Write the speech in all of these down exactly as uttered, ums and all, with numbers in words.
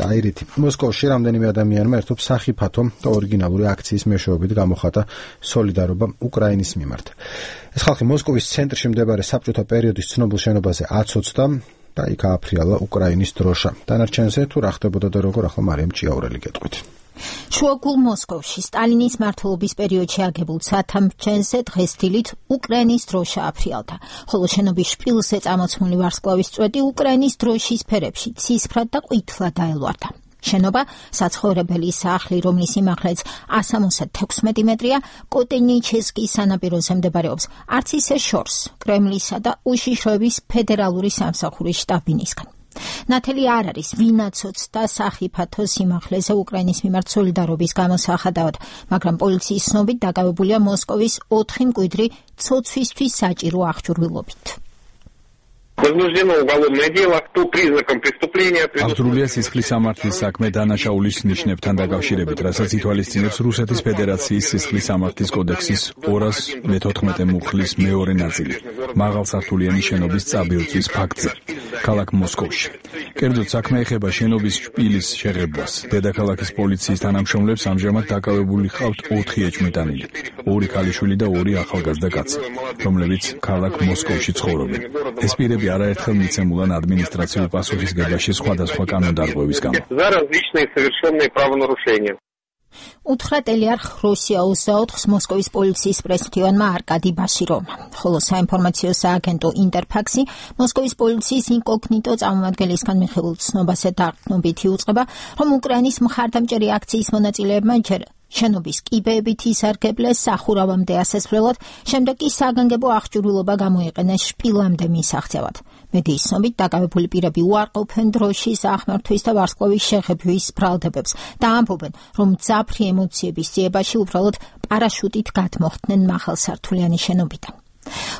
აირითი მოსკოვში რამდენიმე ადამიანმა ერთობ სახიფათო და ორიგინალური აქციის მეშვეობით გამოხატა სოლიდარობა უკრაინის მიმართ. ეს ხალხი მოსკოვის ცენტრში მდებარე საბჭოთა პერიოდის ცნობილ შენობაზე აცოცდა და იქ ააფრიალა უკრაინის დროშა. დანარჩენზე თუ რა ხდებოდა და როგორ, ახლა მარიამ ჭიაურელი გეტყვით. შუაგულ მოსკოვში სტალინის მმართველობის პერიოდში აგებულ სათამბჯენზე დღეს დილით უკრაინის დროშა აფრიალდა, ხოლო შენობის შპილზე წამოწმული ვარსკვლავის წვეტი უკრაინის დროშის ფერებში ცისფრად და ყვითლად დაელვარდა. შენობა საცხოვრებელი სახლი, რომლის სიმაღლეც ასამოცდაათი თექვსმეტი მეტრია, კოტენიჩესკის სანაპიროზე მდებარეობს, არც ისე შორს კრემლისა და უშიშროების ფედერალური სამსახურის შტაბინისგან. ნათელი არ არის, ვინაცოცდა სახიფათო სიმაღლეზე უკრაინის მიმართ სოლიდარობის გამოსახადავად, მაგრამ პოლიციის ცნობით დაკავებულია მოსკოვის ოთხი მკვიდრი ცოცვისთვის საჭირო აღჭურვილობით. აღძრულია სისხლის სამართლის საქმე დანაშაულის ნიშნებთან დაკავშირებით, რასაც ითვალისწინებს რუსეთის ფედერაციის სისხლის სამართლის კოდექსის ორას მეთოთხმეტე მუხლის მეორე ნაწილი, მაღალსართულიანი შენობის წაბილწვის ფაქტზე, ქალაქ მოსკოვში. კერძოდ საქმე ეხება შენობის შპილის შეღებვას. დედაქალაქის პოლიციის თანამშრომლებს ამჟამად დაკავებული ჰყავთ ოთხი ეჭვმიტანილი, ორი ქალიშვილი და ორი ახალგაზრდა კაცი, რომლებიც ქალაქ მოსკოვში ცხოვრობენ. ეს პირები არაერთხელ მიცემულან ადმინისტრაციულ პასუხისგებაში სხვადასხვა კანონდარღვევის გამო. უთხრა ტელეარხ რუსია ოცდაოთხს მოსკოვის პოლიციის პრესმდივანმა არკადი ბაშიროვმა, ხოლო საინფორმაციო სააგენტო ინტერფაქსი მოსკოვის პოლიციის ინკოგნიტო წარმომადგენლისგან მიღებულ ცნობასა დაყრდნობით იუწყება, რომ უკრაინის მხარდამჭერი აქციის მონაწილეებმა ჯერ შენობის კიბეებით ისარგებლეს სახურავამდე ასასვლელად, შემდეგ კი საგანგებო აღჭურვილობა გამოიყენეს შპილამდე მისაღწევად. მედიის ცნობით დაკავებული პირები უარყოფენ დროშის ახმართვის და ვარსკვლავის შეღებვის ბრალდებებს და ამბობენ, რომ მძაფრი ემოციების ძიებაში უბრალოდ პარაშუტით გადმოხდნენ მაღალსართულიანი შენობიდან.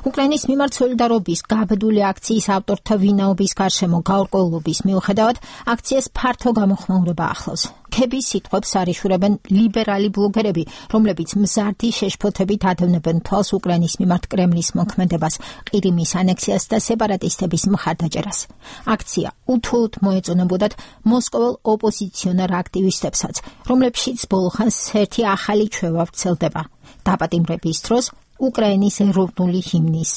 უკრაინის მიმართ სოლიდარობის გაბედული აქციის ავტორთა ვინაობის გარშემო გაურკვევლობის მიუხედავად, აქციას ფართო გამოხმაურება ახლავს. ქების სიტყვებს არიშურებენ ლიბერალი ბლოგერები, რომლებიც მზარდი შეშფოთებით ადევნებენ თვალს უკრაინის მიმართ კრემლის მოქმედებას, ყირიმის ანექსიას და სეპარატისტების მხარდაჭერას. აქცია უთუოდ მოეწონებოდათ მოსკოველ ოპოზიციონერ აქტივისტებსაც, რომლებშიც ბოლოხანს ერთი ახალი ჩვევა ვრცელდება. დაპატიმრების დროს უკრაინის ეროვნული ჰიმნის